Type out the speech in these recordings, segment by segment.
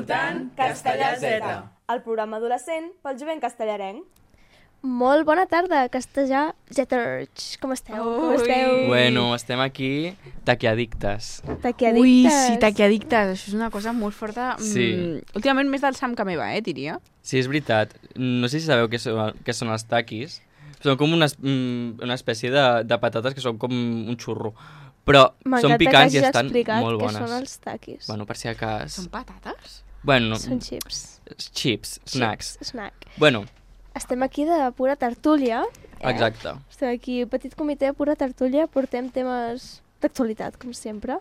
escoltant Castellà Z, el programa adolescent pel jovent castellarenc. Molt bona tarda, Castellà Zeters. Com esteu? Com esteu? Bueno, estem aquí taquiadictes. Taquiadictes. Ui, sí, taquiadictes. Això és una cosa molt forta. Sí. Últimament més del Sam que meva, diria. Sí, és veritat. No sé si sabeu què són els taquis. Són com una espècie de patates que són com un xurro. Però són picants i estan molt bones. M'encanta que són els taquis. Bueno, per si acas... Són patates? Bueno, Són chips. Chips, snacks. Snack. Bueno, Estem aquí de pura tertúlia. exacte. Estem aquí, petit comitè de pura tertúlia, portem temes d'actualitat, com sempre.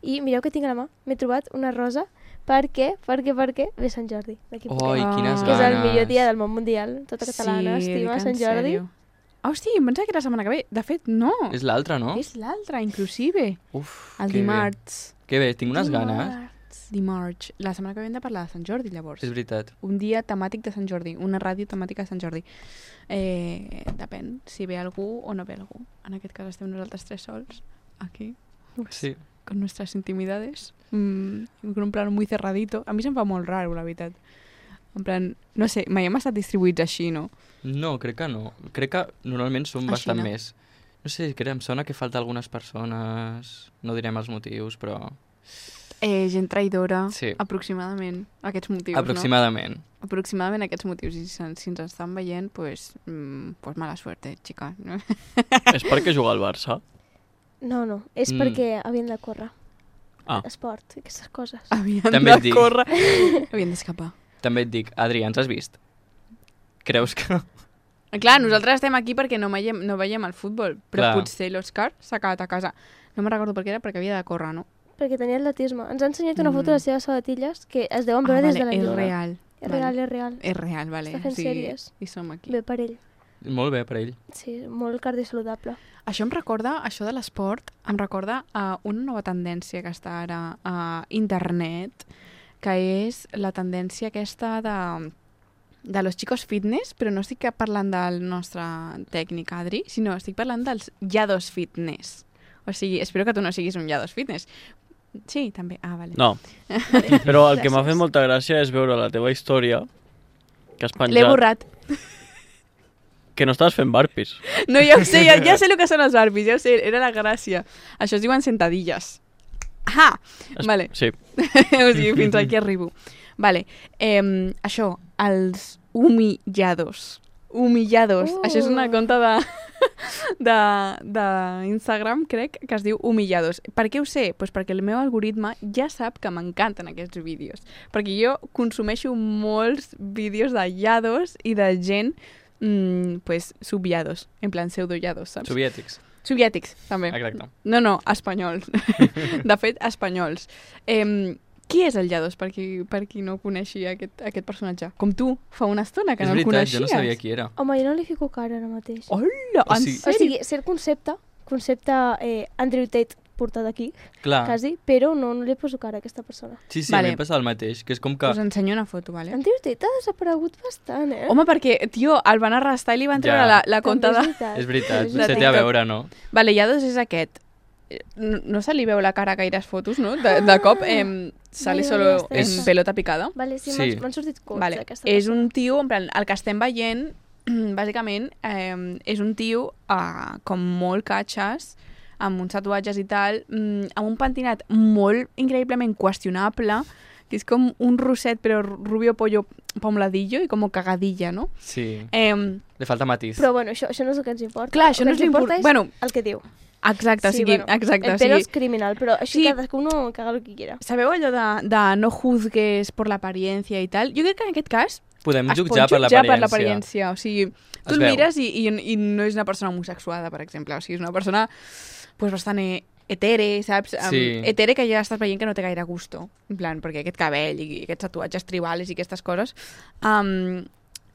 I mireu que tinc a la mà, m'he trobat una rosa. Per què? Ve Sant Jordi. Oi, quines ganes. Que és el millor dia del món mundial. Tota catalana estima Sant Jordi. Hosti, em pensava que era la setmana que ve. De fet, no. És l'altre, no? És l'altre, inclusive. Uf, El que dimarts. bé. Que bé, tinc unes ganes. Dimarts. La setmana que ve hem de parlar de Sant Jordi, llavors. És veritat. Un dia temàtic de Sant Jordi. Una ràdio temàtica de Sant Jordi. Depèn si ve algú o no ve algú. En aquest cas estem nosaltres tres sols. Aquí. Sí. Con nuestras intimidades. Con un plan muy cerradito. A mi se'm fa molt raro, la veritat. En plan, no sé, mai hem estat distribuïts així, no? No, crec que no. Crec que normalment són Així bastant no. més. No sé, em sona que falta algunes persones... No direm els motius, però... Gent traïdora, Sí. aproximadament, aquests motius, Aproximadament. no? Aproximadament aquests motius. I si ens estan veient, pues mala suerte, xica. No? És perquè juga al Barça? No, és perquè havien de córrer. Esport, aquestes coses. Havien També et de dic. córrer. Havien d'escapar. També et dic, Adrià, ens has vist? Creus que... Clar, nosaltres estem aquí perquè no veiem el futbol, però Clar. potser l'Òscar s'ha quedat a casa. No me'n recordo per què era, perquè havia de córrer, no? Perquè tenia atletisme. Ens ha ensenyat una foto de les seves sabatilles que es deuen veure des de la és lluna. real. És real, és real. És real, vale. Està fent sèries. I som aquí. Bé per ell. Molt bé per ell. Sí, molt cardiosaludable. Això això de l'esport, em recorda a una nova tendència que està ara a internet, que és la tendència aquesta de los chicos fitness, però no estic parlant del nostre tècnic Adri, sinó estic parlant dels yados fitness. O sigui, espero que tu no siguis un yados fitness. Sí, també. Ah, vale. No. Però el que m'ha fet molta gràcia és veure la teva història que has penjat... L'he borrat. Que no estaves fent burpees. No, ja ho sé, ja sé el que són els burpees, ja ho sé, era la gràcia. Això es diuen sentadilles. Ah! Vale. Sí. O sigui, fins aquí arribo. Vale. Això, els humillados. Humillados. Això és una conta d'Instagram, crec, que es diu humillados. Per què ho sé? Pues perquè el meu algoritme ja sap que m'encanten aquests vídeos. Perquè jo consumeixo molts vídeos de llados i de gent pues subllados, en plan pseudollados, saps? Soviètics. Soviètics, també. Exacte. No, espanyols. De fet, espanyols. Qui és el Llados, per qui no coneixia aquest personatge? Com tu, fa una estona que És no el veritat, coneixies. jo no sabia qui era. Home, jo no li fico cara ara mateix. Hola, O en sigui- O sèrio? sigui, sé el concepte Andrew Tate portat aquí, Clar. quasi, però no li poso cara a aquesta persona. Sí, Vale. m'he passat el mateix, que és com que... Us ensenyo una foto, vale? Andrew Tate ha desaparegut bastant, Home, perquè, tio, el van arrestar i li van treure Ja. la conta de... És veritat, És potser té a veure, no? Vale, Llados és aquest. No se li veu la cara a gaires fotos, no? De cop sale Vale, solo ja en està. pelota picada. Vale, sí, Sí. m'han sortit cots Vale. d'aquesta És persona. un tio, en plan, el que estem veient, bàsicament, és un tio com molt catxes, amb uns tatuatges i tal, amb un pentinat molt increïblement qüestionable, que és com un rosset, però rubio pollo pomladillo i com cagadilla, no? Sí. Eh, Li falta matís. Però bueno, això no és el que ens importa. Clar, això el no que és ens importa. l'important. Bueno, el que diu. exacte, Sí, o sigui, bueno, exacte. El O pero sigui, és criminal, però així Sí. cadascú caga el que quiera. sabeu allò de no juzgues per l'aparença i tal? Jo crec que en aquest cas Podem es jutjar pot per jutjar per l'aparença. l'aparença. O sigui, tu Es el veu. mires i no és una persona homosexuada, per exemple. O sigui, és una persona pues, bastant etere, saps? Sí. Etere que ja estàs veient que no té gaire gusto. En plan, perquè aquest cabell i aquests tatuatges tribals i aquestes coses...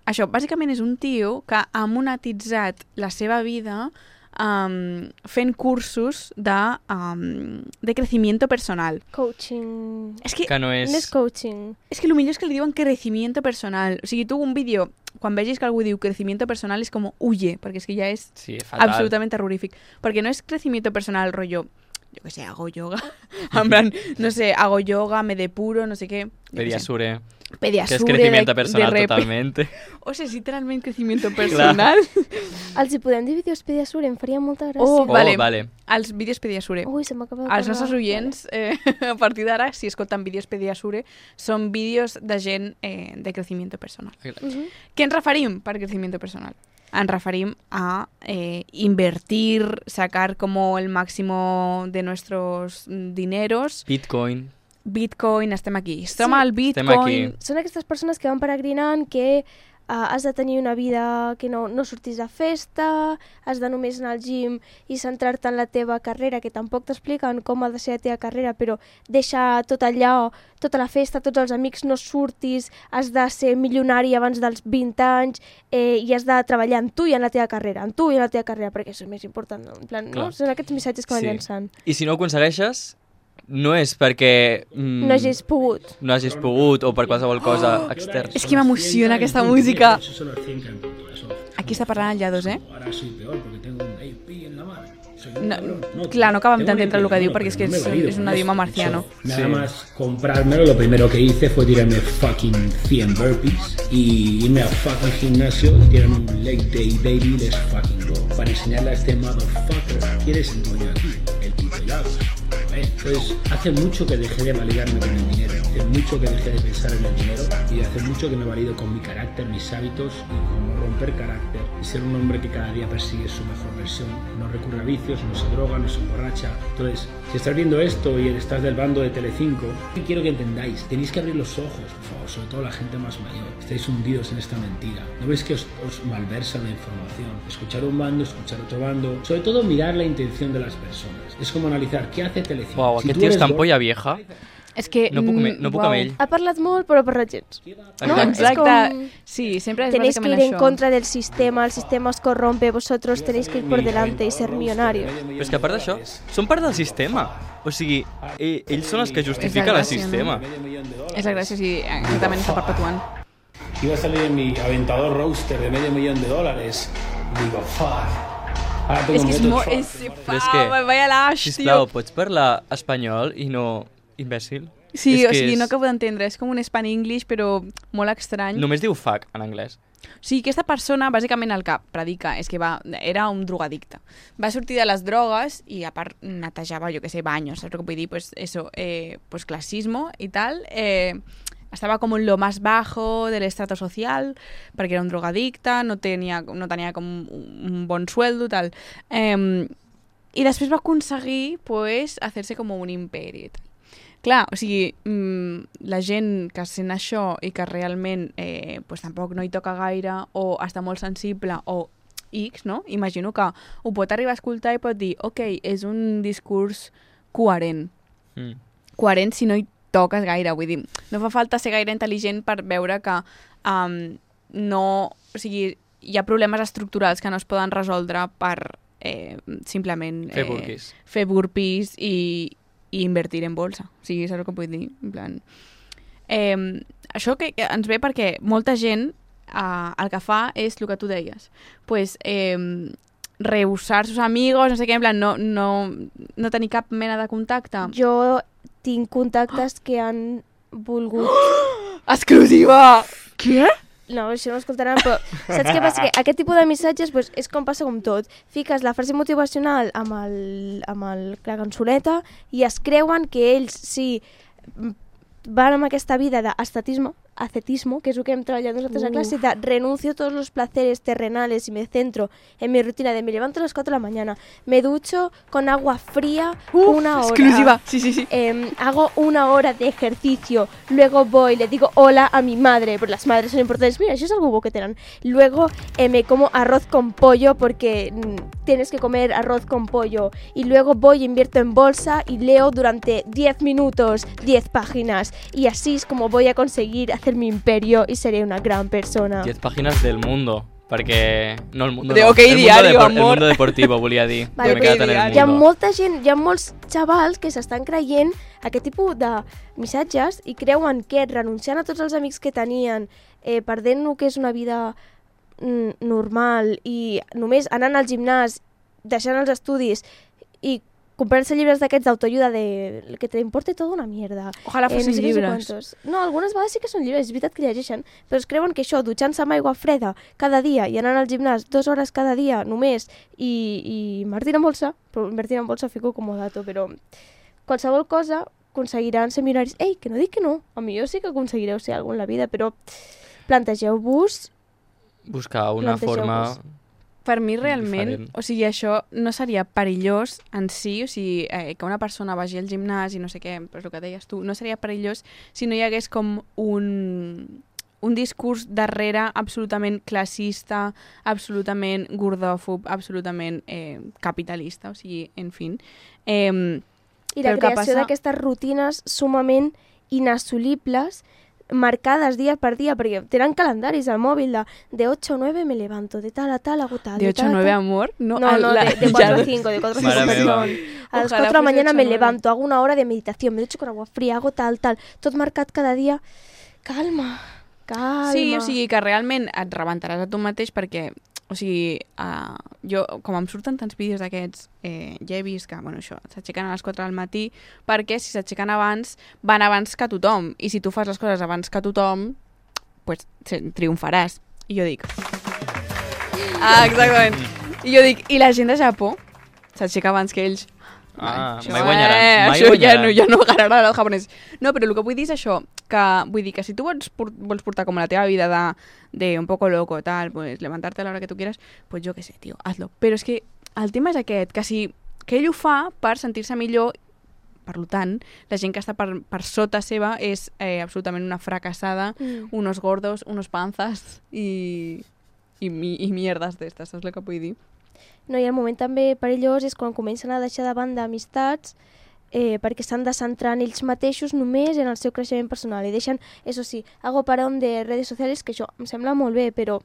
Això, bàsicament és un tio que ha monetitzat la seva vida fent cursos de crecimiento personal. Coaching... És que Que no és... No és coaching. és que el millor és que li diuen crecimiento personal. O sigui, tu un vídeo, quan vegis que algú diu crecimiento personal, és com huye, perquè és que ja és Sí, fatal. absolutament terrorífic. Perquè no és crecimiento personal, rotllo, jo què sé, hago yoga. En plan, no sé, hago yoga, me depuro, no sé què. Pediasure. Pediasure. Que es crecimiento personal totalmente. O sigui, és literalment crecimiento personal. Els hi podem dir vídeos Pediasure, em faria molta gràcia. Oh, vale. Vale. Els vídeos Pediasure. Ui, se m'acaba de Els nostres oients, a partir d'ara, si escolten vídeos Pediasure, són vídeos de gent de crecimiento personal. Què ens referim per crecimiento personal? Ens referim a invertir, sacar como el máximo de nuestros dineros. Bitcoin, estem aquí. Estem al Bitcoin. Són aquestes persones que van peregrinant, que has de tenir una vida que no sortis de festa, has de només anar al gym i centrar-te en la teva carrera, que tampoc t'expliquen com ha de ser la teva carrera, però deixa tot allò, tota la festa, tots els amics, no surtis, has de ser milionari abans dels 20 anys i has de treballar en tu i en la teva carrera, perquè això és més important. En plan, no? Són aquests missatges que van llançant. I si no ho aconsegueixes, no és perquè... no hagis pogut o per qualsevol cosa externa. És que m'emociona aquesta música. Aquí està parlant el Llados, Ahora soy peor porque tengo un AP en la mano. Clar, no acabem d'entendre el que diu perquè és que és un idioma marciano. Nada más comprármelo, lo primero que hice fue tirarme fucking 100 burpees y irme al fucking gimnasio y tirarme un leg day baby, let's fucking go. Para enseñarle a este motherfucker, ¿quién es el dueño aquí? El puto Llados. Entonces, hace mucho que dejé de validarme con el dinero, hace mucho que dejé de pensar en el dinero y hace mucho que me valido con mi carácter, mis hábitos y con romper carácter y ser un hombre que cada día persigue su mejor versión, no recurre a vicios, no se droga, no se emborracha. Entonces, si estás viendo esto y estás del bando de Telecinco, quiero que entendáis, tenéis que abrir los ojos, por favor, sobre todo la gente más mayor. Estáis hundidos en esta mentira. ¿No veis que os malversan la información? Escuchar un bando, escuchar otro bando, sobre todo mirar la intención de las personas. Es como analizar qué hace Telecinco. Uau, aquest tio és tan polla vieja. És que... No puc amb ell. Ha parlat molt, però per gens. No, exacte. Sí, siempre es tenéis que ir en això. contra del sistema, el sistema os corrompe, vosotros tenéis que ir por delante y ser millonarios. Però és que a part d'això, són part del sistema. O sigui, ells són els que justifiquen el sistema. És la gràcia, sí, exactament està perpetuant. Iba a salir en mi aventador roadster de $500,000. Digo, fuck. És que és molt... Vaya laix, tio. Sisplau, pots parlar espanyol i no imbècil? Sí, o sigui, no acabo d'entendre. És com un Span-English, però molt estrany. Només diu fuck en anglès. O sigui, aquesta persona, bàsicament el que predica és que era un drogadicte. Va sortir de les drogues i a part netejava, jo que sé, baños, saps el que vull dir? Pues eso, pues clasismo i tal. Estava com en lo más bajo del estrato social, perquè era un drogadicte, no tenia com un bon sueldo, tal. I després va aconseguir, pues, hacer-se com un imperi. Clar, o sigui, la gent que sent això i que realment pues, tampoc no hi toca gaire o està molt sensible o X, no? Imagino que ho pot arribar a escoltar i pot dir, ok, és un discurs coherent. Coherent si no hi toques gaire, vull dir, no fa falta ser gaire intel·ligent per veure que no, o sigui, hi ha problemes estructurals que no es poden resoldre per simplement fer burpees i invertir en bolsa. O sigui, saps el que vull dir? En plan, això que ens ve perquè molta gent el que fa és el que tu deies, pues rehusar sus amigos, no sé què, en plan, no tenir cap mena de contacte. Jo tinc contactes que han volgut... Exclusiva! Què? No, això no ho escoltaran, però saps què passa? Que aquest tipus de missatges pues, és com passa com tot. Fiques la frase motivacional amb la cançoneta i es creuen que ells sí van amb aquesta vida d'ascetisme, que es lo que hem treballat nosaltres a clase, de renuncio a todos los placeres terrenales y me centro en mi rutina de me levanto a las 4 de la mañana, me ducho con agua fría una hora. Exclusiva, sí. Hago una hora de ejercicio, luego voy, le digo hola a mi madre, porque las madres son importantes, mira, eso es algo que tenen. Luego me como arroz con pollo porque tienes que comer arroz con pollo y luego voy, invierto en bolsa y leo durante 10 minutos, 10 páginas y así es como voy a conseguir hacer mi imperio y seré una gran persona. 10 pàgines del mundo, perquè... No el mundo, de OK Diario, amor. El mundo deportivo, volia dir. Vale, hi ha molta gent, hi ha molts xavals que s'estan creient aquest tipus de missatges i creuen que renunciant a tots els amics que tenien, perdent el que és una vida normal i només anant al gimnàs, deixant els estudis i comprarse llibres d'aquests d'autoajuda de que te importe tota una mierda. Ojalà fossin llibres. No, algunes vegades sí que són llibres, és veritat que llegeixen, però es creuen que això, dutxant-se amb aigua freda cada dia i anant al gimnàs 2 hores cada dia només i invertint en bolsa, però invertint en bolsa fico com a dato, però qualsevol cosa aconseguiran ser milionaris. Ei, que no dic que no, a millor sí que aconseguireu ser algú en la vida, però plantegeu-vos... Buscar una forma... Per mi realment, diferent. o sigui, això no seria perillós en si, o sigui, que una persona vagi al gimnàs i no sé què, però el que deies tu, no seria perillós si no hi hagués com un discurs darrere absolutament classista, absolutament gordòfob, absolutament capitalista, o sigui, en fi. I la creació d'aquestes rutines sumament inassolibles, marcades dia per dia, perquè tenen calendaris al mòbil de 8 o 9 me levanto, de tal a tal hago tal. ¿De 8 a 9 amor? No, de 4 a 5, de 4 a 5, perdón. A las 4 de la mañana me levanto, hago una hora de meditación, me ducho con agua fría, hago tal. Tot marcat cada dia. Calma. Sí, o sigui que realment et rebentaràs a tu mateix perquè, o sigui, jo, com em surten tants vídeos d'aquests, ja he vist que, bueno, això, s'aixequen a les 4 del matí perquè si s'aixequen abans, van abans que tothom. I si tu fas les coses abans que tothom, pues triomfaràs. I jo dic... exactament. I jo dic, i la gent de Japó s'aixeca abans que ells. Mai guanyaran. Això ja no agarrarà el japonès. No, però el que vull dir és això, que vull dir que si tu vols portar com la teva vida de un poco loco, tal, pues levantarte a l'hora que tu quieras, pues yo qué sé, tío, hazlo. Però és que el tema és aquest, que ell ho fa per sentir-se millor, per tant, la gent que està per sota seva és absolutament una fracassada, unos gordos, unos panzas i mierdes d'estes, saps el que vull dir? No, i el moment també perillós és quan comencen a deixar de banda amistats perquè s'han de centrar en ells mateixos només en el seu creixement personal i deixen, eso sí, hago parón de redes sociales, que això em sembla molt bé, però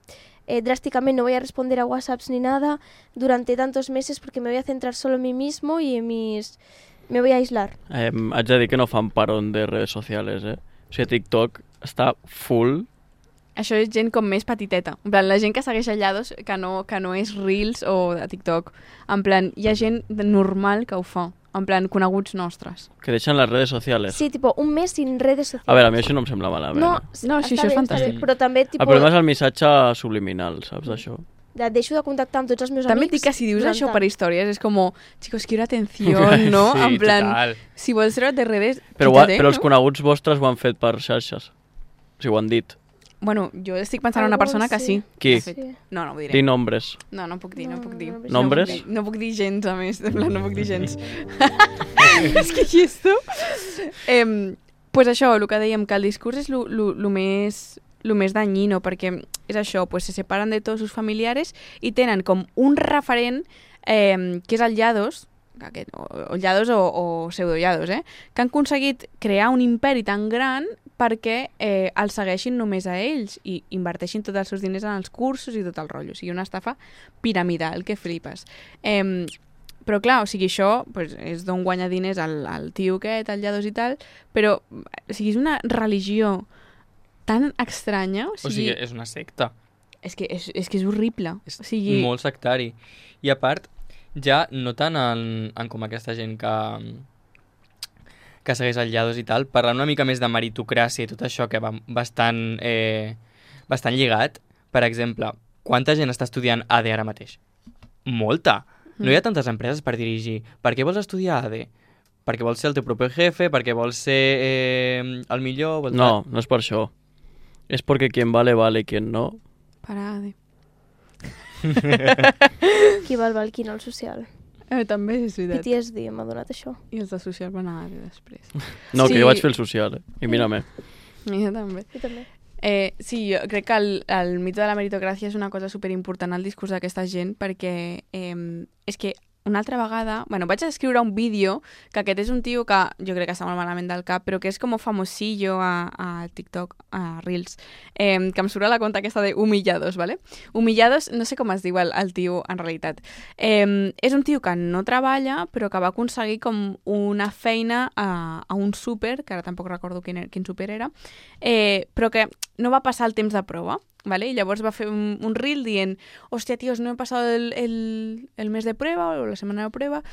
drásticamente no voy a responder a WhatsApps ni nada durante tantos meses porque me voy a centrar solo en mí mismo y en me voy a aislar. Haig de dir que no fan parón de redes sociales, O sigui, TikTok està full. Això és gent com més petiteta. En plan, la gent que segueix a Llados, que no és Reels o de TikTok. En plan, hi ha gent normal que ho fa. En plan, coneguts nostres. Que deixen les redes sociales. Sí, tipo, un mes sin redes sociales. A veure, a mi això no em sembla malament. No, sí, això és fantàstic. Però també, tipo... El problema és el missatge subliminal, saps d'això? Deixo de contactar amb tots els meus també amics. També dic que si dius això per històries és com, chicos, quiero atención, no? Sí, en plan, total. si vols treure de redes, però quítate, els coneguts vostres ho han fet per xarxes. O sigui, ho han dit. Bueno, jo estic pensant en una persona que sí. Qui? Sí. No ho diré. Di nombres. No puc dir. Nombres? No puc dir gens, a més. En plan, no puc dir gens. És que aquí esto... Pues això, el que dèiem, que el discurs és lo més dañino, perquè és això, pues se separen de tots sus familiares i tenen com un referent que és el Llados, o Llados o pseudo-Llados, que han aconseguit crear un imperi tan gran perquè els segueixin només a ells i inverteixin tots els seus diners en els cursos i tot el rotllo. O sigui, una estafa piramidal, que flipes. Però clar, o sigui, això pues, és d'on guanya diners el tio aquest, el Llados i tal, però o sigui, és una religió tan estranya. O sigui, és una secta. És que és horrible. És molt sectari. I a part, ja no tant en com aquesta gent que segueix el Llados i tal, parlant una mica més de meritocràcia i tot això que va bastant lligat. Per exemple, quanta gent està estudiant AD ara mateix? Molta! No hi ha tantes empreses per dirigir. Per què vols estudiar AD? Perquè vols ser el teu propi jefe? Perquè vols ser el millor? No és per això. És perquè quien vale, vale, quien no... Para AD. Qui val, qui no, el social. També és veritat. PTSD m'ha donat això. I els de social van a AD després. No, sí. Que jo vaig fer el social, I mira-me. Jo també. Jo també. Sí, jo crec que el mite de la meritocràcia és una cosa superimportant al discurs d'aquesta gent perquè és que una altra vegada... Bueno, vaig escriure un vídeo que aquest és un tio que jo crec que està molt malament del cap, però que és com famosillo a TikTok, a Reels, que em surt a la compte aquesta de Humillados, ¿vale? Humillados, no sé com es diu el tio en realitat. És un tio que no treballa, però que va aconseguir com una feina a un súper, que ara tampoc recordo quin súper era, però que no va passar el temps de prova. ¿vale? Y llavors va fer un reel dient, hostia, tíos, no he pasado el mes de prueba o la semana de prueba,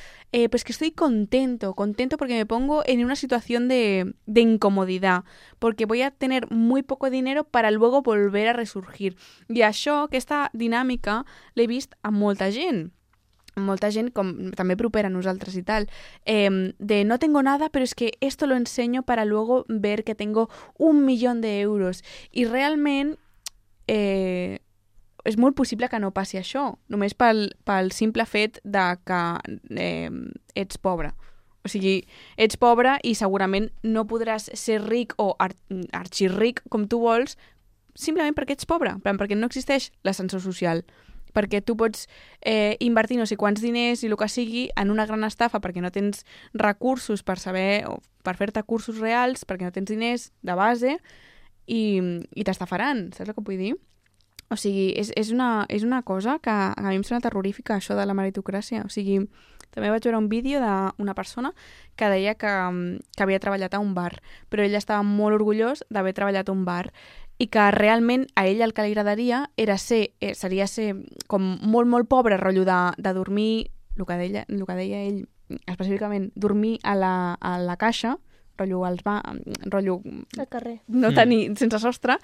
pues que estoy contento porque me pongo en una situación de incomodidad, porque voy a tener muy poco dinero para luego volver a resurgir. I això, aquesta dinàmica, l'he vist a molta gent, com també propera a nosaltres y tal, de no tengo nada, pero es que esto lo enseño para luego ver que tengo 1 millón de euros. I realment és molt possible que no passi això, només pel simple fet de que ets pobre. O sigui, ets pobre i segurament no podràs ser ric o arxirric com tu vols simplement perquè ets pobre, perquè no existeix l'ascensor social, perquè tu pots invertir no sé quants diners i el que sigui en una gran estafa perquè no tens recursos per saber o per fer-te cursos reals, perquè no tens diners de base i t'estafaran, saps el que vull dir? O sigui, és una cosa que a mi em sembla terrorífica, això de la meritocràcia. O sigui, també vaig veure un vídeo d'una persona que deia que havia treballat a un bar, però ell estava molt orgullós d'haver treballat a un bar i que realment a ell el que li agradaria seria ser com molt, molt pobre, rotllo de dormir, el que deia ell específicament, dormir a la caixa, rotllo al carrer. No tenir, sense sostre.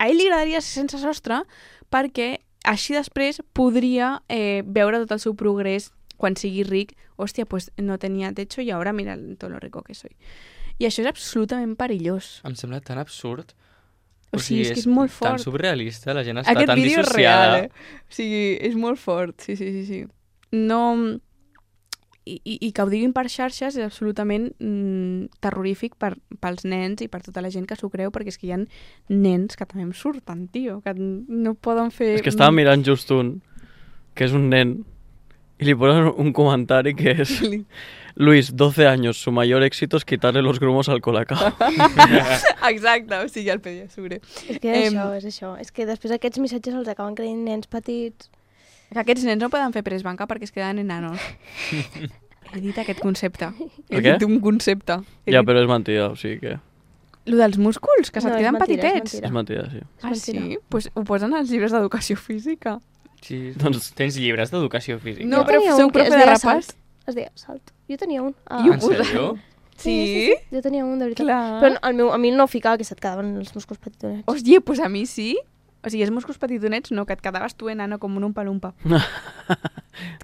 A ell li agradaria ser sense sostre perquè així després podria veure tot el seu progrés quan sigui ric. Hòstia, pues no tenia techo i ara mira tot lo rico que soy. I això és absolutament perillós. Em sembla tan absurd. O sigui, és que és molt fort. Tan surrealista, la gent està Aquest tan vídeo dissociada. és real, O sigui, és molt fort, sí. No... I que ho diguin per xarxes és absolutament terrorífic pels nens i per tota la gent que s'ho creu, perquè és que hi ha nens que també em surten, tio, que no poden fer... És que estava mirant just un, que és un nen, y le ponen un comentario que es: Luis, 12 años, su mayor éxito es quitarle los grumos al colacao. Exacte, o sigui, el Pediasure. És que és això. És que després aquests missatges els acaben creient nens petits. Que aquests nens no poden fer presbanca perquè es queden enanos. He dit aquest concepte. He dit un concepte. Ja, però és mentida, o sigui que... Lo dels músculs, que se't queden petitets. És mentida, sí. Ah, sí? Pues ho posen als llibres d'educació física. Sí, doncs tens llibres d'educació física. No, però sou profe de rapàs. Es deia Salt. Jo tenia un. En sèrio? Sí? Jo tenia un, de veritat. Clar. Però a mi no ficava que se't quedaven els músculs petitonets. Hòstia, pues a mi sí. O sigui, els músculs petitonets no, que et quedaves tu enano com un umpa-lumpa.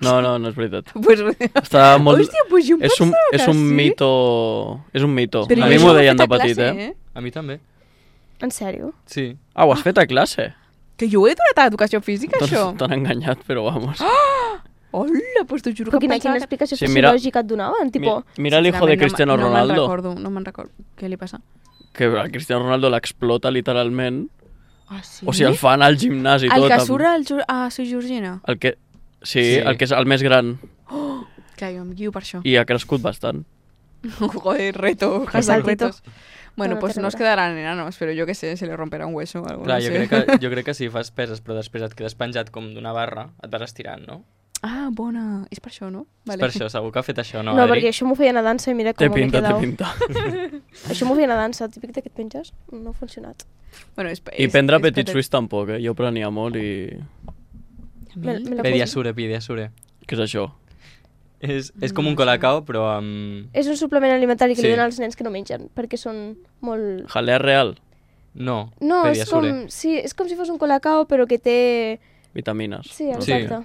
No, és veritat. Pues... Està molt... Hòstia, pues jo em pensava que és un sí. mito... És un mito. Però a mi m'ho deien de petit, A mi també. En sèrio? Sí. Ah, ho has fet a classe? Que jo ho he donat a educació física, això. T'han enganyat, però vamos. Hola, pues t'ho juro que Quina pensava explicació sociològica et donaven? Tipo... Mira el hijo de Cristiano Ronaldo. No me'n recordo. Què li passa? Que a Cristiano Ronaldo l'explota literalment. Ah, sí? O sigui, el fan al gimnàs i tot. El que surt a Su Georgina? El que... Sí, el que és el més gran. Clar, jo em guio per això. I ha crescut bastant. Joder, reto. Hashtag retos. Bueno, No, pues no no es quedarán enanos, pero yo qué sé, se le romperá un hueso o algo. Clar, no jo crec que si fas peses però després et quedes penjat com d'una barra, et vas estirant, no? Ah, bona. És per això, no? És per això, segur que ha fet això, no, No, Adri? perquè això m'ho feien a dansa i mira com m'he Té quedat. pinta. Això m'ho feien a dansa, típic de que et penges. No ha funcionat. Bueno, I prendre Petit Suisse tampoc, Jo prenia molt i... Me la Pediasure. Què és això? És com un colacao, però amb... És un suplement alimentari que Sí. li donen als nens que no mengen, perquè són molt... Jalea real? No, No, és Pediasure. com, sí, és com si fos un colacao, però que té... Vitamines. Sí, exacte.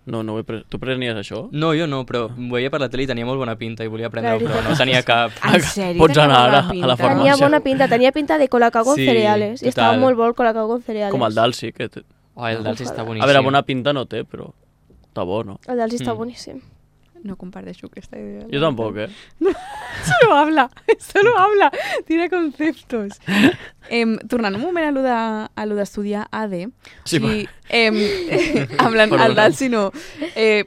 No ho he pres... Tu prenies això? No, jo no, però ho veia per la tele i tenia molt bona pinta i volia La prendre-ho, però veritat. no tenia cap... En sèrio? Pots anar Tenia ara bona a la pinta? farmàcia. Tenia pinta de colacao con Sí, cereales. I estava total. molt bo el colacao con cereales. Com el d'Alsi, que... Oh, el d'Alsi està boníssim. A veure, bona pinta no té, però està bo, no? El d'Alsi està boníssim. No comparteixo aquesta idea. Jo tampoc, Solo habla, tira conceptos. Tornant un moment a lo d'estudiar AD, Sí, o sigui, hablant Perdona. al d'Alsi no,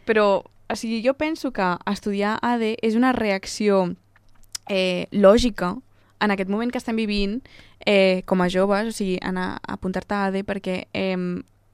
però o sigui, jo penso que estudiar AD és una reacció lògica en aquest moment que estem vivint com a joves, o sigui, anar a apuntar-te a AD perquè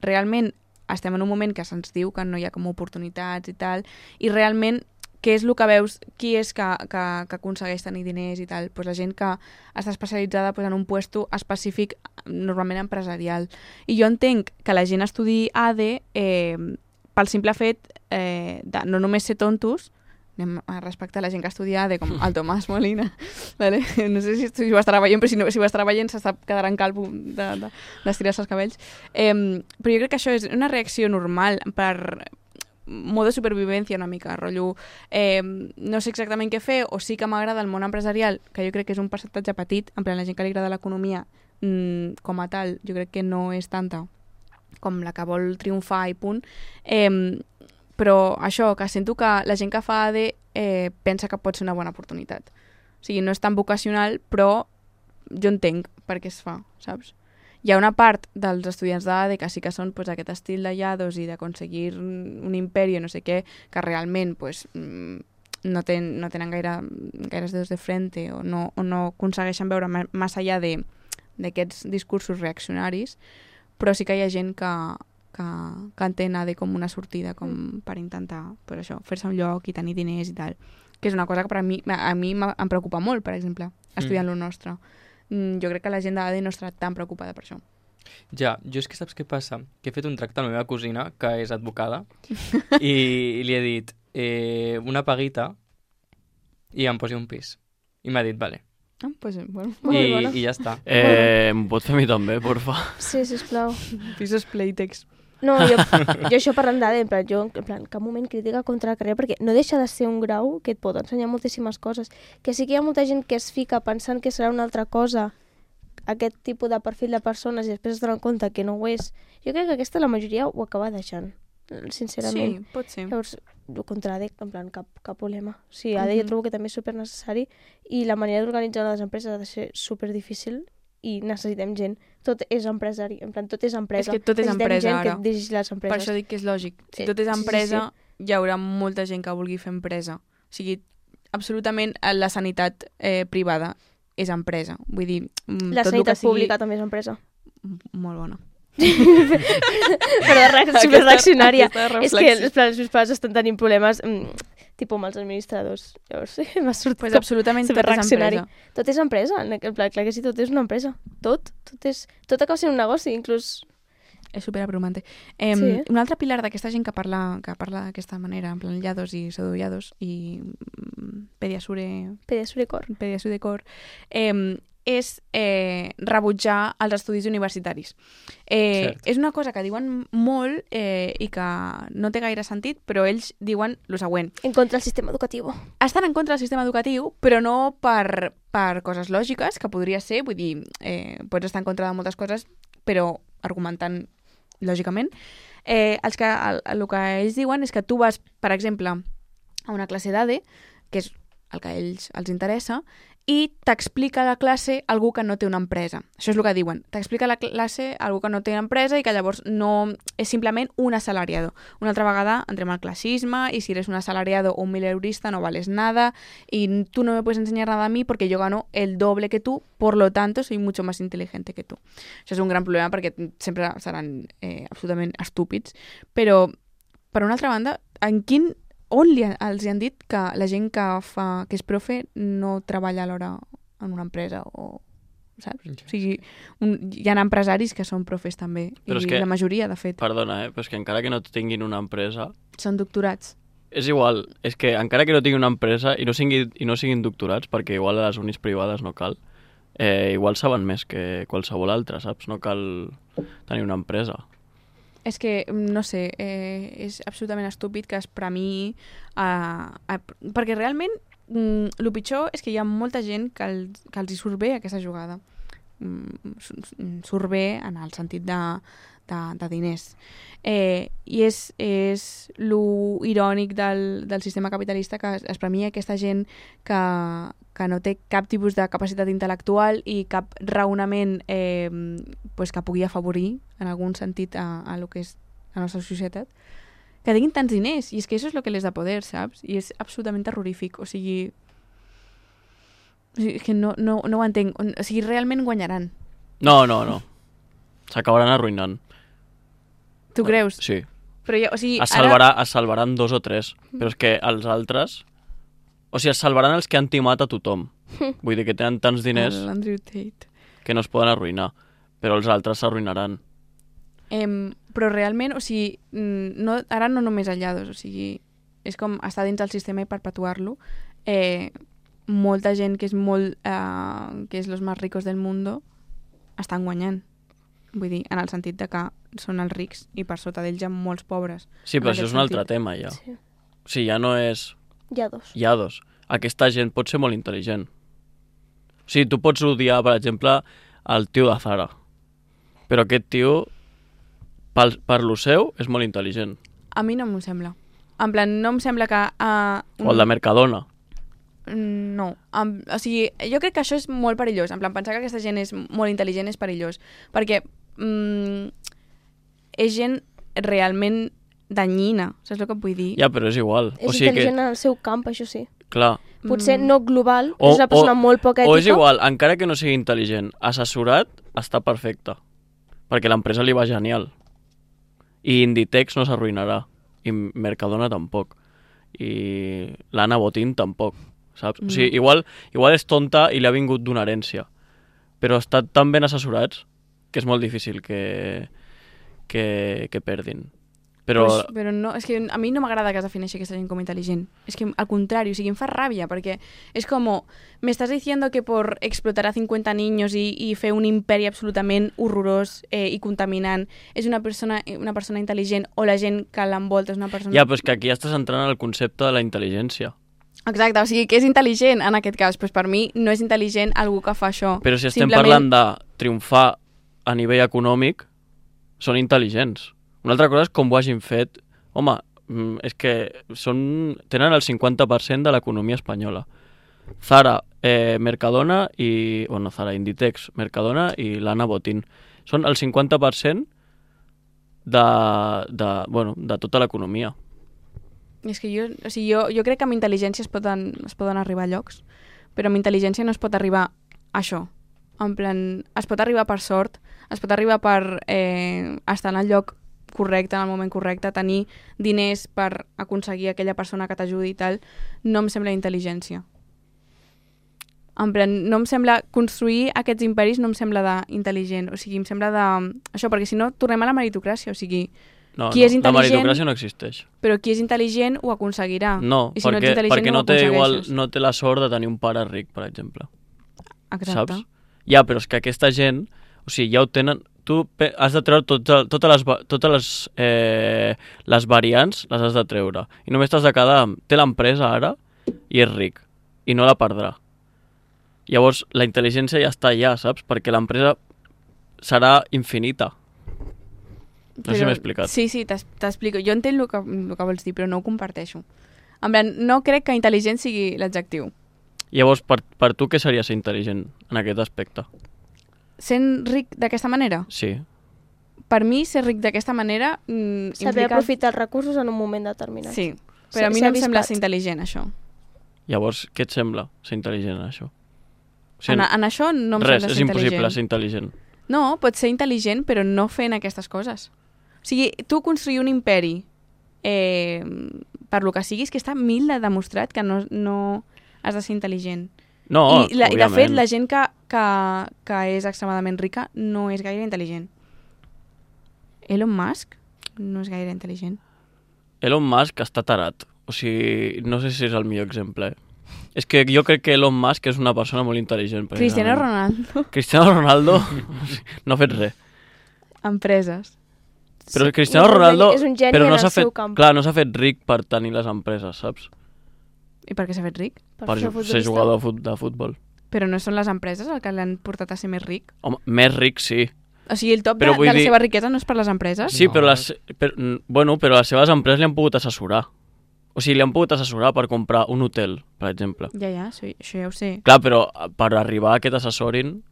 realment estem en un moment que se'ns diu que no hi ha com oportunitats i tal, i realment què és el que veus, qui és que aconsegueix tenir diners i tal? Pues la gent que està especialitzada pues, en un puesto específic, normalment empresarial. I jo entenc que la gent estudi ADE pel simple fet de no només ser tontos, anem a respectar la gent que estudia ADE, com el Tomàs Molina, vale? No sé si ho estarà veient, però si ho estarà veient s'està quedarà calvo d'estirar-se els cabells. Però jo crec que això és una reacció normal per modo de supervivència una mica, rotllo. No sé exactament què fer, o sí que m'agrada el món empresarial, que jo crec que és un percentatge petit, en plan la gent que li agrada l'economia com a tal, jo crec que no és tanta com la que vol triomfar i punt. Però això, que sento que la gent que fa ADE pensa que pot ser una bona oportunitat. O sigui, no és tan vocacional, però jo entenc per què es fa, saps? Hi ha una part dels estudiants d'ADE que sí que són pues, aquest estil de llados i d'aconseguir un imperi o no sé què, que realment pues, no tenen gaires dedos de frente o no aconsegueixen veure massa allà d'aquests discursos reaccionaris, però sí que hi ha gent que entén ADE com una sortida com per intentar pues això, fer-se un lloc i tenir diners i tal, que és una cosa que per a mi em preocupa molt, per exemple, estudiant lo nostre. Jo crec que la gent d'ADE no estarà tan preocupada per això. Ja, jo és que saps què passa? Que he fet un tracte amb la meva cosina, que és advocada, i li he dit una paguita i em posi un pis. I m'ha dit, vale. Pues, bueno. I ja està. Em pot fer a mi també, porfa? Sí, sisplau. Pisos Playtex. No, jo això parlant d'ADE, en plan, cap moment crítica contra la carrera, perquè no deixa de ser un grau que et pot ensenyar moltíssimes coses. Que sí que hi ha molta gent que es fica pensant que serà una altra cosa, aquest tipus de perfil de persones, i després es donen compte que no ho és. Jo crec que aquesta la majoria ho acaba deixant, sincerament. Sí, pot ser. Llavors, contra ADE, en plan, cap problema. Sí, ADE jo trobo que també és supernecessari i la manera d'organitzar les empreses ha de ser superdifícil i necessitem gent. Tot és empresari, en plan, tot és empresa. És que tot és necessitem empresa, gent ara. que dirigeix les empreses. Per això dic que és lògic. Si Sí, tot és empresa, sí. hi haurà molta gent que vulgui fer empresa. O sigui, absolutament la sanitat privada és empresa. Vull dir, La tot sanitat el que sigui... pública també és empresa. Molt bona. Però superreaccionària. Aquesta És que els meus pares estan tenint problemes tipus amb els administradors. Llavors m'ha sortit Pues absolutament tot és superreaccionari. empresa. Tot és empresa. En plan, clar que sí, tot és una empresa. Tot acaba sent un negoci, inclús. És superabrumante. Sí. Un altre pilar d'aquesta gent que parla d'aquesta manera, en plan llados i pseudollados i pediasure cor, és rebutjar els estudis universitaris. És una cosa que diuen molt i que no té gaire sentit, però ells diuen el següent. En contra del sistema educatiu. Estan en contra del sistema educatiu, però no per coses lògiques, que podria ser, vull dir, pots estar en contra de moltes coses, però argumentant lògicament. El que ells diuen és que tu vas, per exemple, a una classe d'ADE, que és el que a ells els interessa, i t'explica a la classe algú que no té una empresa. Això és el que diuen. T'explica a la classe algú que no té una empresa i que llavors no és simplement un assalariado. Una altra vegada entrem al classisme i si eres un assalariado o un mileurista no vales nada y tú no me puedes enseñar nada a mí porque yo gano el doble que tú, por lo tanto soy mucho más inteligente que tú. Això és un gran problema perquè sempre seran absolutament estúpids. Però, per una altra banda, on els han dit que la gent que és profe no treballa alhora en una empresa o saps? O sigui, hi ha empresaris que són profes també, però i que, la majoria, de fet. Perdona, però és que encara que no tinguin una empresa... Són doctorats. És igual, és que encara que no tinguin una empresa i no siguin doctorats, perquè igual a les unis privades no cal, igual saben més que qualsevol altre, saps? No cal tenir una empresa. És que, no sé, és absolutament estúpid que es premiï perquè realment el pitjor és que hi ha molta gent que els hi surt bé aquesta jugada. Surt bé en el sentit de diners. I és lo irònic del sistema capitalista que es premia aquesta gent que no té cap tipus de capacitat intel·lectual i cap raonament pues, que pugui afavorir en algun sentit a lo que és la nostra societat, que tinguin tants diners, i és que això és el que les da poder, saps? I és absolutament terrorífic, o sigui que no ho entenc, o sigui, realment guanyaran. No, s'acabaran arruïnant. Tu creus? Sí. Però ja, o sigui, es salvaran 2 o 3, però és que els altres O sigui, es salvaran els que han timat a tothom. Vull dir que tenen tants diners L'Andrew Tate. que no es poden arruïnar, però els altres s'arruïnaran. Però realment, o sigui, no, ara no només aïllados, o sigui, és com estar dins del sistema i perpetuar-lo. Molta gent que és que és los más ricos del mundo estan guanyant. Vull dir, en el sentit de que són els rics i per sota d'ells hi ha molts pobres. Sí, però això és un altre tema, ja. Sí. O sigui, ja no és... Hi ha dos. Hi ha dos. Aquesta gent pot ser molt intel·ligent. O sigui, tu pots odiar, per exemple, el tio de Zara. Però aquest tio, per lo seu, és molt intel·ligent. A mi no m'ho sembla. En plan, no em sembla que... O el de Mercadona. No. O sigui, jo crec que això és molt perillós. En plan, pensar que aquesta gent és molt intel·ligent és perillós. Perquè és gent realment danyina. Saps el que et vull dir? Ja, però és igual. És o sigui intel·ligent que, en el seu camp, això sí. clar. Potser no global, és una persona molt poc ètica. O és igual, encara que no sigui intel·ligent, assessorat està perfecte. Perquè l'empresa li va genial. I Inditex no s'arruïnarà. I Mercadona tampoc. I l'Anna Botín tampoc. Saps? O sigui, igual és tonta i li ha vingut d'una herència. Però estan tan ben assessorats que és molt difícil que perdin. Però... Però no, és que a mi no m'agrada que es defineixi aquesta gent com intel·ligent. És que al contrari, o sigui, em fa ràbia, perquè és com, me estás diciendo que por explotar a 50 niños y fer un imperi absolutament horrorós i contaminant és una persona intel·ligent, o la gent que l'envolta és una persona... Ja, però és que aquí estàs entrant al concepte de la intel·ligència. Exacte, o sigui, que és intel·ligent en aquest cas, doncs per mi no és intel·ligent algú que fa això. Però si estem parlant de triomfar a nivell econòmic, són intel·ligents. Una altra cosa és com ho hagin fet. Home, és que tenen el 50% de l'economia espanyola. Zara, Mercadona i... Bueno, Zara, Inditex, Mercadona i l'Anna Botín. Són el 50% de tota l'economia. És que jo crec que amb intel·ligència es poden arribar a llocs, però amb intel·ligència no es pot arribar a això. En plan, es pot arribar per sort, es pot arribar per estar en el lloc correcte, en el moment correcte, tenir diners per aconseguir aquella persona que t'ajudi i tal, no em sembla intel·ligència. En plan, no em sembla construir aquests imperis, no em sembla d'intel·ligent, o sigui, em sembla de... Això, perquè si no, tornem a la meritocràcia, o sigui, qui és intel·ligent... La meritocràcia no existeix. Però qui és intel·ligent ho aconseguirà. No, I si perquè no té la sort de tenir un pare ric, per exemple. Exacte. Saps? Ja, però és que aquesta gent, o sigui, ja ho tenen... Tu has de treure totes les variants, les has de treure. I només t'has de quedar amb... Té l'empresa ara i és ric. I no la perdrà. Llavors, la intel·ligència ja està allà, saps? Perquè l'empresa serà infinita. No sé si m'he explicat. Sí, t'explico. Jo entenc el que vols dir, però no ho comparteixo. En plan, no crec que intel·ligent sigui l'adjectiu. Llavors, per tu què seria ser intel·ligent en aquest aspecte? Sent ric d'aquesta manera? Sí. Per mi, ser ric d'aquesta manera Saber aprofitar els recursos en un moment determinat. Sí, però a mi no em sembla ser intel·ligent, això. Llavors, què et sembla ser intel·ligent en això? O sigui, en això no em sembla ser intel·ligent. Res, és impossible ser intel·ligent. No, pots ser intel·ligent, però no fent aquestes coses. O sigui, tu construir un imperi per lo que siguis, que està mil de demostrat que no has de ser intel·ligent. No, I de fet, la gent que és extremadament rica no és gaire intel·ligent. Elon Musk no és gaire intel·ligent. Elon Musk està tarat. O sigui, no sé si és el millor exemple. És que jo crec que Elon Musk és una persona molt intel·ligent. Cristiano Ronaldo. Cristiano Ronaldo no ha fet res. Empreses. Però Cristiano Ronaldo és un geni però no en el seu camp. Clar, no s'ha fet ric per tenir les empreses, saps? I per què s'ha fet ric? Per ser jugador de futbol. Però no són les empreses el que l'han portat a ser més ric? Home, més ric sí. O sigui, el top de la seva riquesa no és per les empreses? Sí, però les seves empreses li han pogut assessorar. O sigui, li han pogut assessorar per comprar un hotel, per exemple. Ja, això ja ho sé. Clar, però per arribar a aquest assessorin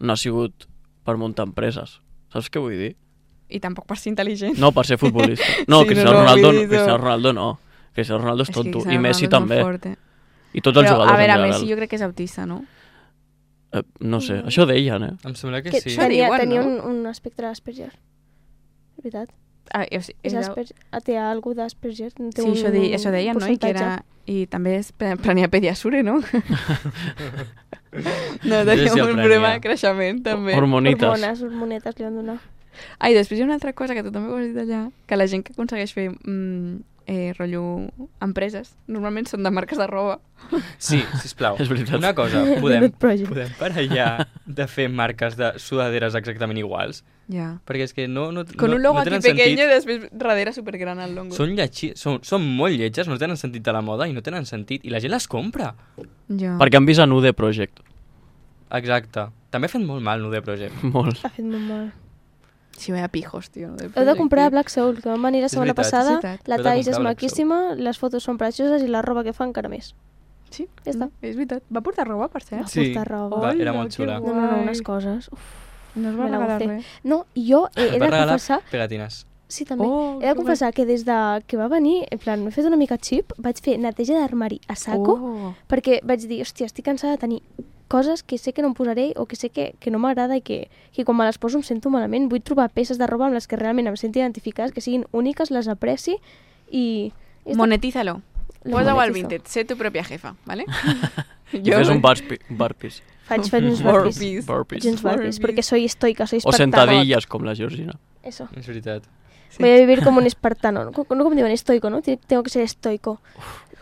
no ha sigut per muntar empreses. Saps què vull dir? I tampoc per ser intel·ligent. No, per ser futbolista. No, sí, Cristiano Ronaldo no. Cristiano Ronaldo és tonto. I Messi també. I tots els jugadors en general. A veure, Messi jo crec que és autista, no? No sé, això deien, Em sembla que sí. Tenia un espectre d'Asperger. És veritat. Té algú d'Asperger. Sí, això deien, no? I que era I també prenia Pediasure, no? No, Jo tenia sí el un prenia. problema de creixement, també. Hormonites. Hormonetes li van donar. I després hi ha una altra cosa que tu també ho has dit allà, que la gent que aconsegueix fer rotllo empreses, normalment són de marques de roba. Sí, sisplau. És veritat. Una cosa, Donut Project. podem parar ja de fer marques de sudaderes exactament iguals? Ja. Perquè és que no Con un logo no aquí tenen pequeño sentit. i després darrere supergran el logo. Són molt lletges, no tenen sentit de la moda i no tenen sentit. I la gent les compra. Ja. Perquè han vist a Nude Project. Exacte. També ha fet molt mal Nude Project. Molt. Ha fet molt mal. Sí, vaya pijos, tio. Heu de comprar Black Soul, que van venir la setmana veritat, passada. és veritat. La Heu de Thais és comprar Black maquíssima, les fotos són precioses i la roba que fa encara més. Sí, Ja està. És veritat. Va portar roba, per cert? Va portar roba. Va, era Hola, molt xula. que No, guai. unes coses. Uf. No es va Me la regalar gocé. res. No, jo he Va de regalar confessar... pegatines. Sí, també. Oh, He de que confessar que des de que va venir, en plan, m'he fet una mica xip, vaig fer neteja d'armari a saco, Oh. perquè vaig dir, hòstia, estic cansada de tenir coses que sé que no em posaré o que sé que no m'agrada i que quan me les poso em sento malament. Vull trobar peces de roba amb les que realment em senti identificades, que siguin úniques, les apreci i... Monetízalo. Lo Posa-ho al monetizo. Vinted. Sé tu pròpia jefa, ¿vale? I fes un burpees. Faig uns Burpees. burpees. Burpees. Uns burpees, Burpees. porque soy estoica, soy O espartano. sentadillas, com la Georgina. Eso. És veritat. Voy a vivir como un espartano. No como digo, estoico, ¿no? Tengo que ser estoico.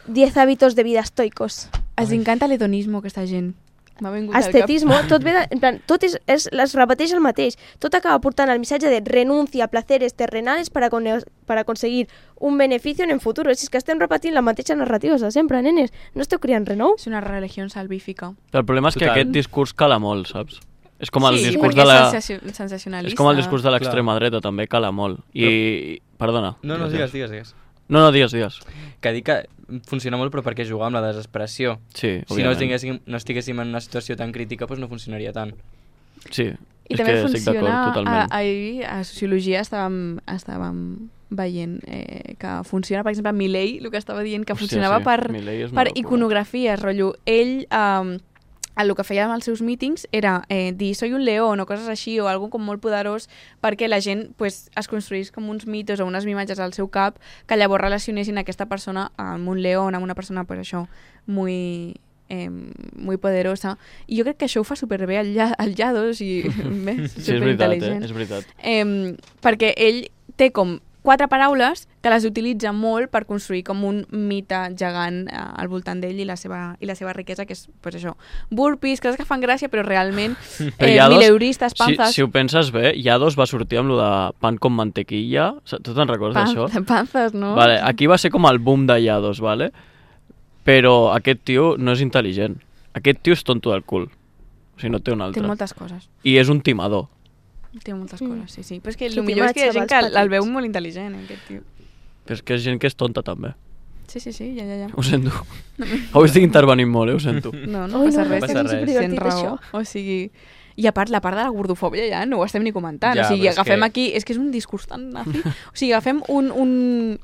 10 hábitos de vida estoicos. Els encanta l'hedonisme, aquesta gent. M'ha vingut al cap. Estetismo, tot ve de, en plan, tot les repeteix el mateix. Tot acaba portant el missatge de renuncia a placeres terrenales para conseguir un beneficio en el futuro. Si és que estem repetint la mateixa narrativa de sempre, nenes. No esteu criant res nou? És una religió salvífica. El problema és que Total. aquest discurs cala molt, saps? És com el sí, discurs perquè de la... és sensacionalista. És com el discurs de l'extrema dreta, també cala molt. I... Perdona. No, digues. No, digues. Que dic que funciona molt però perquè juga amb la desesperació. Sí, Si no òbviament. estiguéssim en una situació tan crítica, doncs no funcionaria tant. Sí, I és també que estic d'acord funciona, totalment. ahir a Sociologia estàvem veient que funciona, per exemple, Milei, el que estava dient, que Hòstia, funcionava sí. per Milei és una locura. iconografies, rotllo. Ell, el que feia amb els seus mítings era dir soy un león o coses així, o algo com molt poderós, perquè la gent pues, es construís com uns mitos o unes imatges al seu cap que llavors relacionessin aquesta persona amb un león, amb una persona, pues, això, muy poderosa. I jo crec que això ho fa superbé el Llados i més, Sí, és veritat, superintel·ligent. és veritat. Perquè ell té com 4 paraules que les utilitza molt per construir com un mite gegant al voltant d'ell i la seva riquesa, que és, pues això, burpees, coses que fan gràcia, però realment Però Llados, mileuristes, panzas... Si ho penses bé, Llados va sortir amb lo de pan con mantequilla. Tu te'n recordes d'això? Panzas, no? Vale, aquí va ser com el boom de Llados, vale? Però aquest tio no és intel·ligent. Aquest tio és tonto del cul. O sigui, no té un altre. Té moltes coses. I és un timador. Té moltes coses, sí. Però és que Qui el millor és que hi ha gent que xavals el veu petits. molt intel·ligent, aquest tio. Però és que és gent que és tonta, també. Sí, ja. Ho sento. Avui estic intervenint molt, ho sento. No Ui, passa no, res. passa res. Tens Superdivertit, raó. això. O sigui... I a part, la part de la gordofòbia ja no ho estem ni comentant. Ja, o sigui, però és agafem que- aquí... És que és un discurs tan nazi. O sigui, agafem un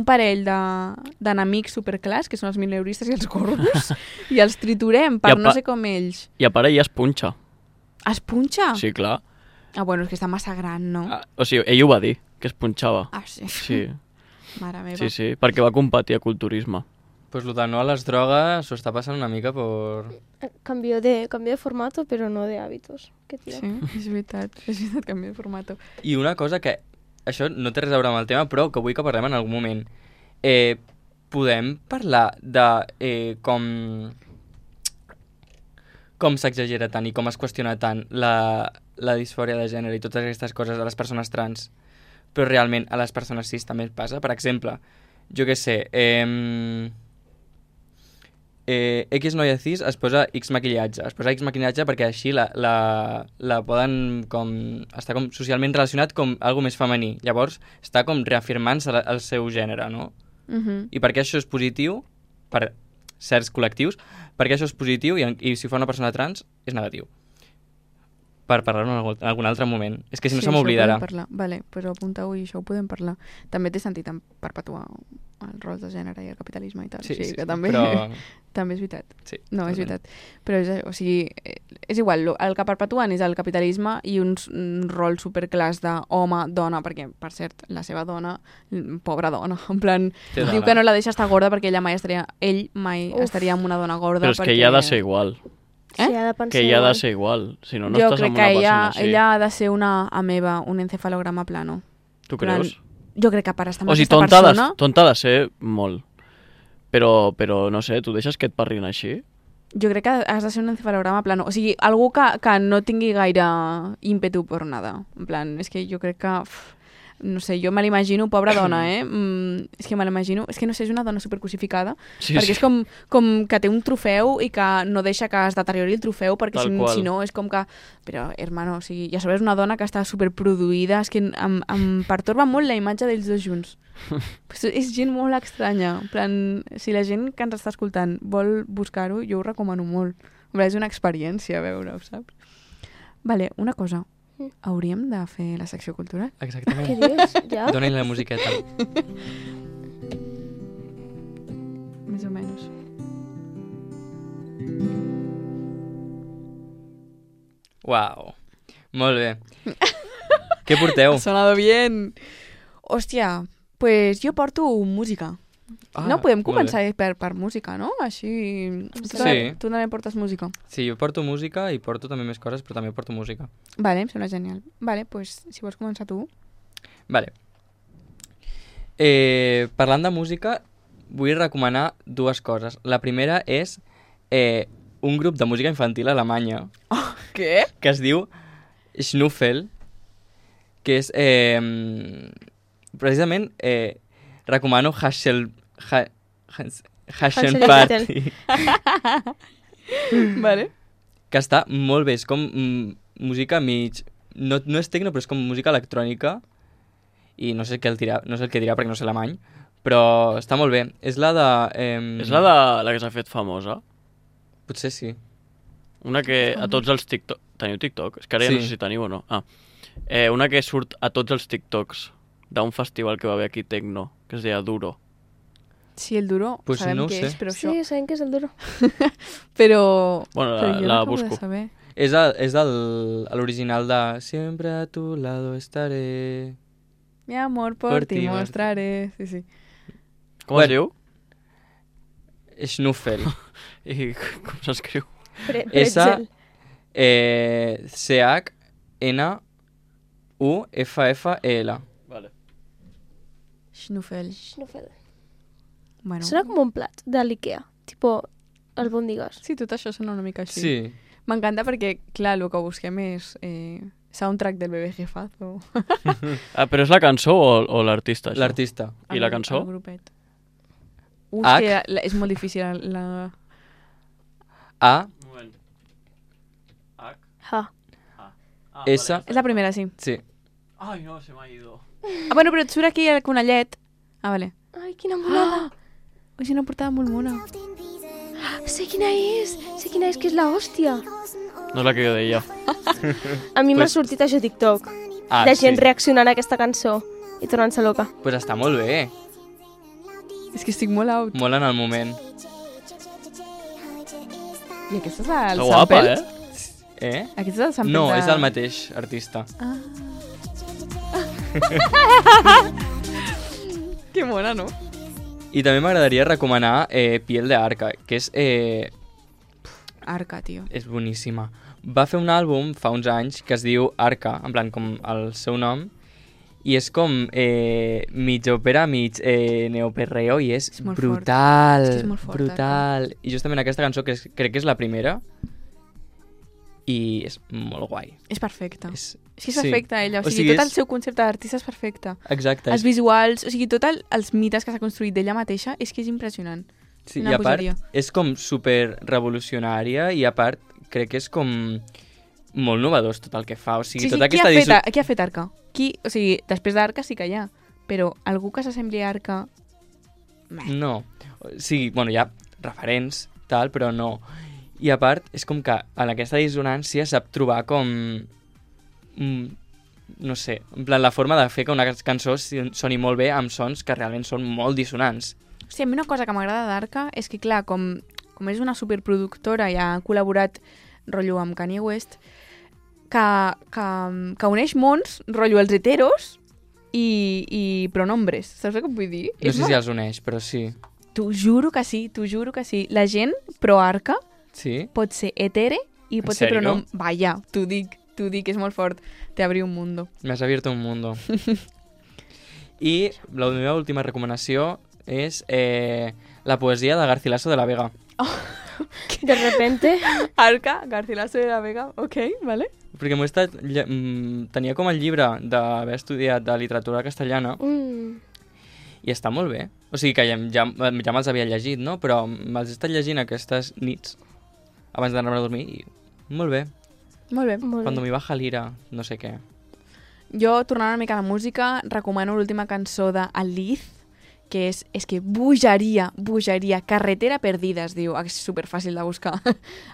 parell d'enemics superclars, que són els mileuristes i els gordos, i els triturem per I a no pa- sé com ells. I a part ella es punxa. Es punxa? Sí, clar. Ah, bueno, és que està massa gran, no? O sigui, ell ho va dir, que es punxava. Ah, sí. Sí, Mare meva. sí, perquè va competir a culturisme. Pues lo de no a les drogues s'ho està passant una mica por... Cambio de formato, pero no de hábitos. Qué tira. Sí, és veritat, canvia de formato. I una cosa que... Això no té res a veure amb el tema, però que vull que parlem en algun moment. Podem parlar de com s'exagera tant i com es qüestiona tant la disfòria de gènere i totes aquestes coses a les persones trans, però realment a les persones cis també passa? Per exemple, jo què sé... X noia cis es posa X maquillatge. Es posa X maquillatge perquè així la poden com... Està com socialment relacionat com algo més femení. Llavors està com reafirmant-se el seu gènere, no? I per què això és positiu per certs col·lectius, per què això és positiu i si fa una persona trans és negatiu. per parlar en algun altre moment. És que si no Sí, se m'oblidarà. això ho podem parlar. Vale, però apuntau i això ho podem parlar. També té sentit en perpetuar els rols de gènere i el capitalisme i tal. Sí, o sigui, sí, que també, però... també és veritat. Sí, No, és totalment. veritat. Però o sigui, és igual, el que perpetuen és el capitalisme i uns rols superclars d'home-dona, perquè, per cert, la seva dona, pobra dona, en plan, Té diu dona. que no la deixa estar gorda perquè ell mai Uf. estaria amb una dona gorda. Però és que perquè... ja ha de ser igual. Sí, ha de pensar Que ja ha igual. de ser igual. Si no, no jo estàs crec amb que una ella, persona així. ella ha de ser una ameba, un encefalograma plano. Tu plan, creus? Jo crec que per estar amb O sigui, aquesta persona... tonta ha de ser molt. Però no sé, tu deixes que et parlin així? Jo crec que has de ser un encefalograma plano. O sigui, algú que no tingui gaire ímpetu per nada. En plan, és que jo crec que... no sé, jo me l'imagino, pobra dona, és que me l'imagino... És que no sé, és una dona supercrucificada, Sí, perquè sí. és com que té un trofeu i que no deixa que es deteriori el trofeu, perquè Tal qual. si no és com que... Però, hermano, o sigui, ja sabeu, és una dona que està superproduïda, és que em pertorba molt la imatge d'ells dos junts. És gent molt estranya. En plan, si la gent que ens està escoltant vol buscar-ho, jo ho recomano molt. És una experiència veure-ho, saps? Vale, una cosa. Hauríem de fer la secció cultural? Exactament. Què dius? Ja? Dóna-li la musiqueta. Més o menys. Uau. Molt bé. Què porteu? Ha sonado bien. Hòstia, pues jo porto música. No, podem molt començar bé. per música, no? Així... Sí. Tu també portes música. Sí, jo porto música i porto també més coses, però també porto música. Vale, em sembla genial. Vale, pues si vols començar tu. Vale. Parlant de música, vull recomanar dues coses. La primera és un grup de música infantil alemanya Què? que es diu Schnuffel, que és precisament recomano Hasselparty. Vale. Que està molt bé, és com música mig... No és tecno, però és com música electrònica i no sé què dirà perquè no sé alemany, però està molt bé. És la de... És la que s'ha fet famosa? Potser sí. Una que a tots els TikTok... Teniu TikTok? És que ara ja Sí. no sé si teniu o no. Una que surt a tots els TikToks d'un festival que va haver aquí Tecno, que es deia Duro. Sí, el duro, Pues sabem no ho què sé. és, però Sí, això... sabem que és el duro. Però... Bueno, però jo la no acabo busco. de saber. És l'original de Siempre a tu lado estaré. Mi amor, por Por ti ti mostraré. Sí, sí. Com es diu? Schnuffel. I com s'escriu? Pretzel. CHNUFFL. Vale. Schnuffel. Schnuffel. Bueno. Sona com un plat de l'Ikea, tipo albòndigues. Sí, tot això sona una mica així. Sí. M'encanta perquè, clar, el que busquem és soundtrack del bebé jefazo. Però és la cançó o l'artista, això? L'artista. I la cançó? El grupet. És H. que és molt difícil la... A, Un moment. H. Ha. S. És la primera, sí. Sí. Ai, no, se m'ha ido. Ah, bueno, però et surt aquí el conellet. Ah, vale. Ai, quina monada. És una portada molt mona. Sé quina és, que és la hòstia. No és la que jo deia. A mi m'ha Pues- sortit això a TikTok, Ah, de gent sí. reaccionant a aquesta cançó i tornant-se loca. Pues està molt bé. És que estic molt out. Molt en el moment. I aquest és el Està guapa, sample? eh? Aquest és el sample No, de... és del mateix artista. Que mona, no? I també m'agradaria recomanar Piel de Arca, que Arca, tio. és boníssima. Va fer un àlbum fa uns anys que es diu Arca, en plan com el seu nom, i és com mig òpera, mig neoperreo, i és molt fort. brutal, És que és molt fort, brutal. I justament aquesta cançó, crec que és la primera, i és molt guai. És perfecta. És És que és perfecta, ella. O O sigui, sigui, tot el és- seu concepte d'artista és perfecte. Exacte. Els visuals, o sigui, tots els mites que s'ha construït d'ella mateixa és que és impressionant. Sí, una i a part, bogeria. és com super revolucionària i a part crec que és com molt novedós tot el que fa. O sigui, tota qui aquesta ha fet Arca? O sigui, després d'Arca sí que hi ha, però algú que s'assembli a Arca... No. O sigui, bueno, hi ha referents, tal, però no. I a part, és com que en aquesta dissonància sap trobar com... no sé, en plan, la forma de fer que una cançó soni molt bé amb sons que realment són molt dissonants. Sí, a mi una cosa que m'agrada d'Arca és que, clar, com és una superproductora i ha col·laborat, rotllo, amb Kanye West, que uneix mons, rotllo, els heteros i pronombres. Saps el que vull dir? No sé si els uneix, però sí. T'ho juro que sí, t'ho juro que sí. La gent pro-Arca Sí? pot ser hetere i pot ser sèrio? pronom... Vaya, t'ho dic, és molt fort. Te abrí un mundo. Me has abierto un mundo. I la meva última recomanació és la poesia de Garcilaso de la Vega. De repente... Arca, Garcilaso de la Vega, ok, vale. Perquè m'ho he estat... tenia com el llibre d'haver estudiat de literatura castellana i està molt bé. O sigui que ja me'ls havia llegit, no? Però me'ls he estat llegint aquestes nits abans d'anar a dormir i molt bé. Molt bé. Molt Cuando bé. me baja l'ira, no sé què. Jo, tornant una mica a la música, recomano l'última cançó d'Aliz, que és que bogeria, Carretera Perdida, es diu, és superfàcil de buscar.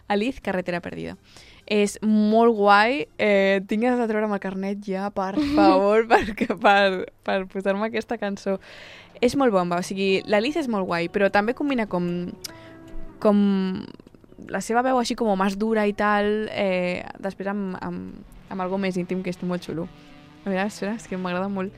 Aliz, Carretera Perdida. És molt guai, tinc ganes de treure'm el carnet ja, per favor, per posar-me aquesta cançó. És molt bomba, o sigui, l'Aliz és molt guai, però també combina com la seva veu així com més dura i tal, després amb algo més íntim, que és molt xulo. A veure, espera, és que m'agrada molt.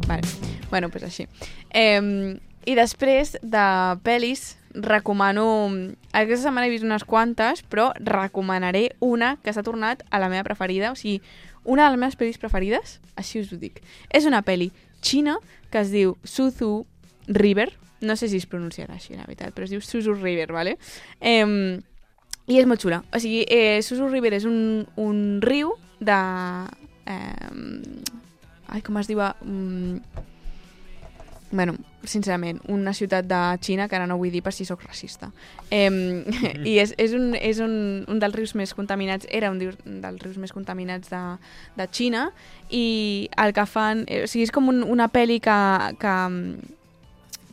Vale. Bueno, pues així. I després de pel·lis, recomano... Aquesta setmana he vist unes quantes, però recomanaré una que s'ha tornat a la meva preferida, o sigui, una de les meves pel·lis preferides, així us ho dic. És una pel·li xina que es diu Suzu River, no sé si es pronunciarà així, la veritat, però es diu Suzu River, ¿vale? I és molt xula. O sigui, Suzu River és un riu de... com es diu? Bueno, sincerament, una ciutat de Xina, que ara no vull dir per si sóc racista. I és un dels rius més contaminats, era un dels rius més contaminats de Xina, i el que fan... O sigui, és com una pel·li que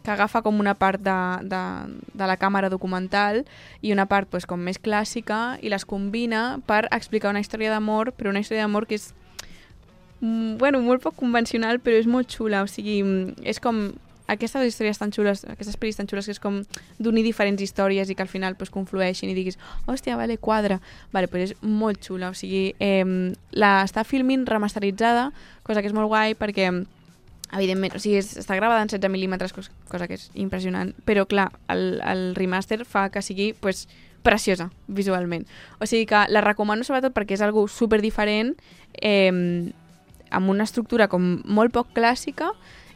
agafa com una part de la càmera documental i una part pues, com més clàssica, i les combina per explicar una història d'amor, però una història d'amor que és molt poc convencional, però és molt xula. O sigui, és com aquestes històries tan xules, aquestes pel·lis tan xules, que és com d'unir diferents històries i que al final pues, conflueixin i diguis, hòstia, vale, quadra. Vale, pues és molt xula. O sigui, està filmint remasteritzada, cosa que és molt guai perquè evidentment, o sigui, està gravada en 16 mil·límetres, cosa que és impressionant, però clar, el remaster fa que sigui pues, preciosa visualment. O sigui que la recomano sobretot perquè és algo super diferent, amb una estructura com molt poc clàssica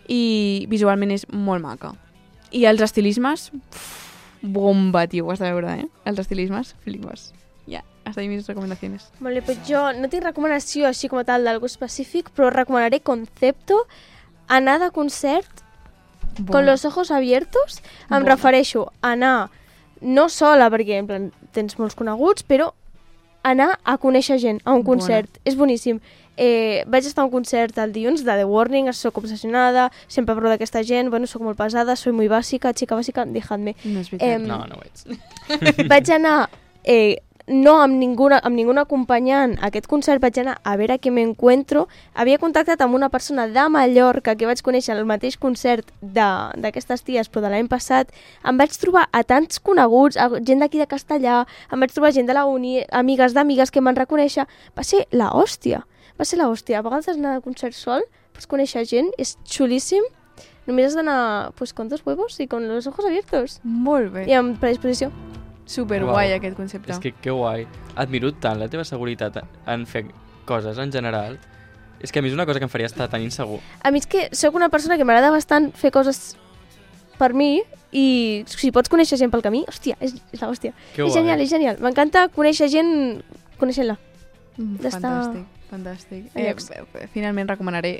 i visualment és molt maca. I els estilismes, bomba, tio, ho has de veure, Els estilismes, flipes. Ja, hasta ahí mis recomendaciones. Vale, pues jo no tinc recomanació així com a tal d'algo específic, però recomanaré Concepto, anar de concert con los ojos abiertos. Em refereixo a anar no sola, perquè en plan, tens molts coneguts, però anar a conèixer gent a un concert. És boníssim. Vaig estar a un concert el dilluns de The Warning, soc obsessionada, sempre parlo d'aquesta gent, bueno, soc molt pesada, soy muy bàsica, chica bàsica, dejadme. No és veritat. No ho ets. Vaig anar, no amb ninguna acompanyant a aquest concert, vaig anar a veure què m'encuentro. Havia contactat amb una persona de Mallorca que vaig conèixer al mateix concert d'aquestes ties, però de l'any passat. Em vaig trobar a tants coneguts, a gent d'aquí de Castellà, em vaig trobar gent de la uni, amigues d'amigues que m'han reconèixer. Va ser la hòstia. A vegades anar a concert sol, pots conèixer gent, és xulíssim. Només has d'anar pues, con dos huevos y con los ojos abiertos. Molt bé. I amb predisposició. Superguai aquest concepte. És que guai. Admiro tant la teva seguretat en fer coses en general. És que a mi és una cosa que em faria estar tan insegur. A mi és que sóc una persona que m'agrada bastant fer coses per mi i si pots conèixer gent pel camí, hòstia, és la hòstia. Que És guai. genial. M'encanta conèixer gent coneixent-la. Fantàstic. Finalment recomanaré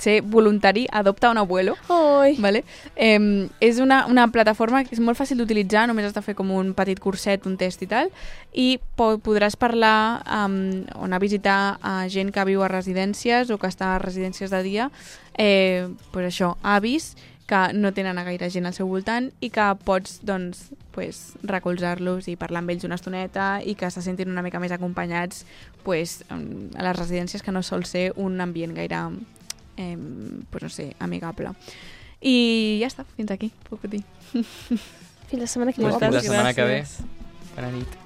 ser voluntari, adopta un abuelo. Oi. Vale? És una plataforma que és molt fàcil d'utilitzar, només has de fer com un petit curset, un test i tal, i podràs parlar o anar a visitar a gent que viu a residències o que està a residències de dia, pues això, avis que no tenen a gaire gent al seu voltant i que pots doncs, recolzar-los i parlar amb ells una estoneta i que se sentin una mica més acompanyats a les residències, que no sol ser un ambient gaire amigable. I ja està, fins aquí, puc dir. Fins la setmana que ve. Fins la setmana que ve. gràcies. Bona nit.